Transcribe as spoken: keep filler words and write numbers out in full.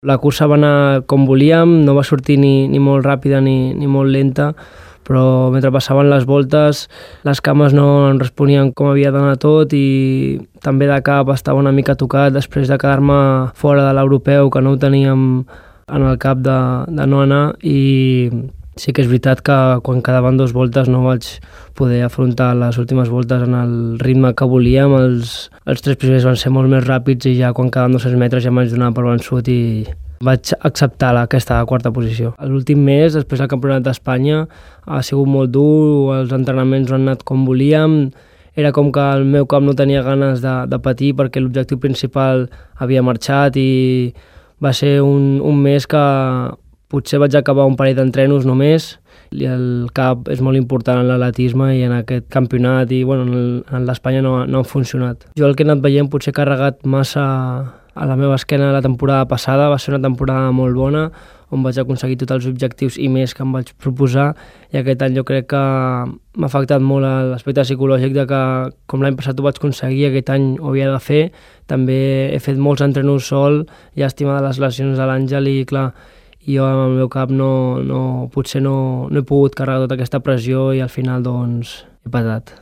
La cursa va anar com volíem, no va sortir ni, ni molt ràpida ni, ni molt lenta, però mentre passaven les voltes les cames no em responien com havia d'anar tot i també de cap estava una mica tocat després de quedar-me fora de l'europeu, que no ho teníem en el cap de, de no anar, i sí que és veritat que quan quedaven dues voltes no vaig poder afrontar les últimes voltes en el ritme que volíem. Els, els tres primers van ser molt més ràpids i ja quan quedaven dos-cents metres ja m'haig donar per vençut i vaig acceptar la, aquesta quarta posició. L'últim mes, després del Campionat d'Espanya, ha sigut molt dur, els entrenaments no han anat com volíem, era com que el meu cap no tenia ganes de, de patir perquè l'objectiu principal havia marxat i va ser un, un mes que potser vaig acabar un parell d'entrenos només i el cap és molt important en l'atletisme i en aquest campionat i bueno, en l'Espanya no, no ha funcionat. Jo el que he anat veient potser he carregat massa a la meva esquena la temporada passada, va ser una temporada molt bona on vaig aconseguir tots els objectius i més que em vaig proposar i aquest any jo crec que m'ha afectat molt l'aspecte psicològic de que com l'any passat ho vaig aconseguir, aquest any ho havia de fer. També he fet molts entrenos sol, llàstima de les lesions de l'Àngel i clar, jo amb el meu cap no, no, potser no, no he pogut carregar tota aquesta pressió i al final doncs he patat.